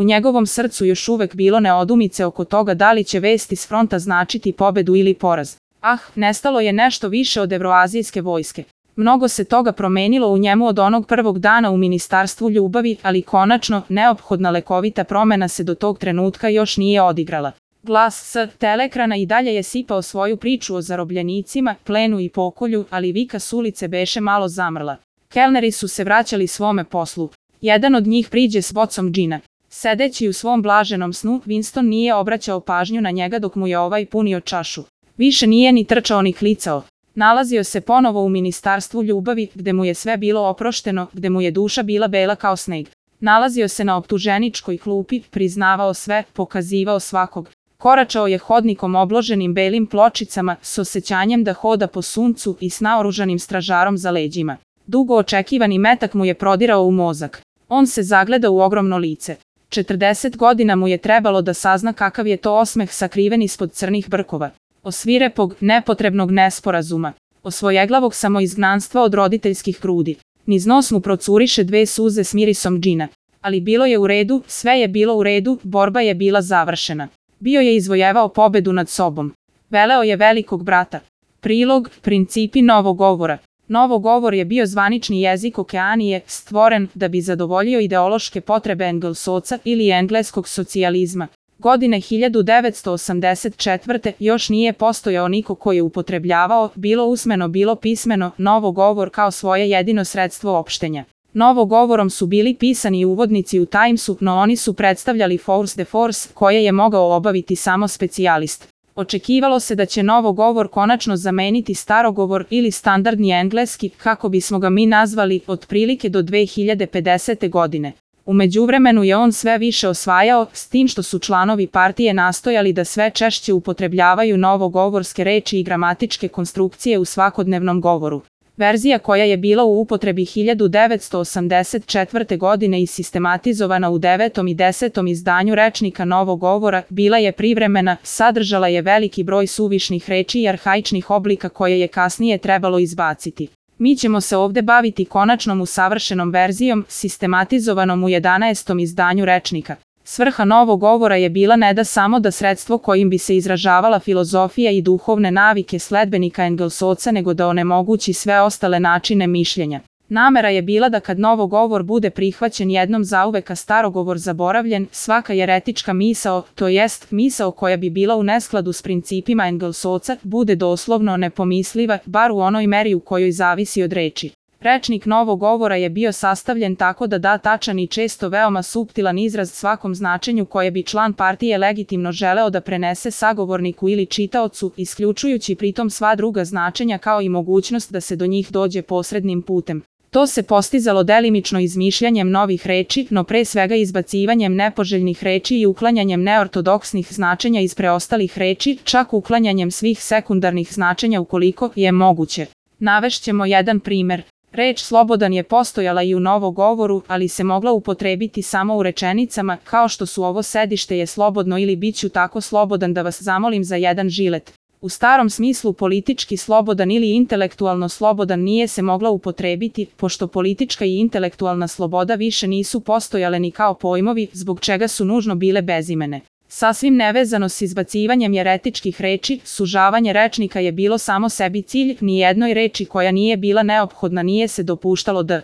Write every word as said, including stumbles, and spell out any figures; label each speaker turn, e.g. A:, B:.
A: U njegovom srcu još uvek bilo neodumice oko toga da li će vesti s fronta značiti pobedu ili poraz. Ah, nestalo je nešto više od evroazijske vojske. Mnogo se toga promenilo u njemu od onog prvog dana u Ministarstvu ljubavi, ali konačno, neophodna lekovita promena se do tog trenutka još nije odigrala. Glas s telekrana i dalje je sipao svoju priču o zarobljenicima, plenu i pokolju, ali vika s ulice beše malo zamrla. Kelneri su se vraćali svome poslu. Jedan od njih priđe s bocom džina. Sedeći u svom blaženom snu, Winston nije obraćao pažnju na njega dok mu je ovaj punio čašu. Više nije ni trčao ni klicao. Nalazio se ponovo u Ministarstvu ljubavi, gde mu je sve bilo oprošteno, gde mu je duša bila bela kao sneg. Nalazio se na optuženičkoj klupi, priznavao sve, pokazivao svakog. Koračao je hodnikom obloženim belim pločicama, s osjećanjem da hoda po suncu i s naoružanim stražarom za leđima. Dugo očekivani metak mu je prodirao u mozak. On se zagleda u ogromno lice. četrdeset godina mu je trebalo da sazna kakav je to osmeh sakriven ispod crnih brkova. O svirepog, nepotrebnog nesporazuma. O svojeglavog samoizgnanstva od roditeljskih grudi. Niz nos mu procuriše dve suze s mirisom džina. Ali bilo je u redu, sve je bilo u redu, borba je bila završena. Bio je izvojevao pobedu nad sobom. Veleo je velikog brata. Prilog, principi novog govora. Novogovor je bio zvanični jezik Okeanije, stvoren da bi zadovoljio ideološke potrebe Engelsovca ili engleskog socijalizma. Godine hiljadu devetsto osamdeset četvrte još nije postojao niko koji je upotrebljavao, bilo usmeno bilo pismeno, novogovor kao svoje jedino sredstvo opštenja. Novogovorom su bili pisani uvodnici u Timesu, no oni su predstavljali force de force, koje je mogao obaviti samo specijalist. Očekivalo se da će novogovor konačno zameniti starogovor ili standardni engleski, kako bismo ga mi nazvali, otprilike do dve hiljade pedesete. godine. U međuvremenu je on sve više osvajao, s tim što su članovi partije nastojali da sve češće upotrebljavaju novogovorske reči i gramatičke konstrukcije u svakodnevnom govoru. Verzija koja je bila u upotrebi hiljadu devetsto osamdeset četvrte. godine i sistematizovana u devetom i desetom izdanju rečnika novog govora, bila je privremena, sadržala je veliki broj suvišnih reči i arhaičnih oblika koje je kasnije trebalo izbaciti. Mi ćemo se ovde baviti konačnom usavršenom verzijom, sistematizovanom u jedanaestom izdanju rečnika. Svrha novog govora je bila ne da samo da sredstvo kojim bi se izražavala filozofija i duhovne navike sledbenika Engelsovca, nego da onemogući sve ostale načine mišljenja. Namera je bila da kad novogovor bude prihvaćen jednom zauvek a starogovor zaboravljen, svaka jeretička misao, to jest misao koja bi bila u neskladu s principima Engelsovca, bude doslovno nepomisliva, bar u onoj meri u kojoj zavisi od reči. Rečnik novog govora je bio sastavljen tako da da tačan i često veoma suptilan izraz svakom značenju koje bi član partije legitimno želeo da prenese sagovorniku ili čitaocu, isključujući pritom sva druga značenja kao i mogućnost da se do njih dođe posrednim putem. To se postizalo delimično izmišljanjem novih reči, no pre svega izbacivanjem nepoželjnih reči i uklanjanjem neortodoksnih značenja iz preostalih reči, čak uklanjanjem svih sekundarnih značenja ukoliko je moguće. Navešćemo jedan primer. Reč slobodan je postojala i u novogovoru, ali se mogla upotrebiti samo u rečenicama, kao što su ovo sedište je slobodno ili bit ću tako slobodan da vas zamolim za jedan žilet. U starom smislu politički slobodan ili intelektualno slobodan nije se mogla upotrebiti, pošto politička i intelektualna sloboda više nisu postojale ni kao pojmovi, zbog čega su nužno bile bezimene. Sasvim nevezano s izbacivanjem jeretičkih reči, sužavanje rečnika je bilo samo sebi cilj, ni jednoj reči koja nije bila neophodna nije se dopuštalo da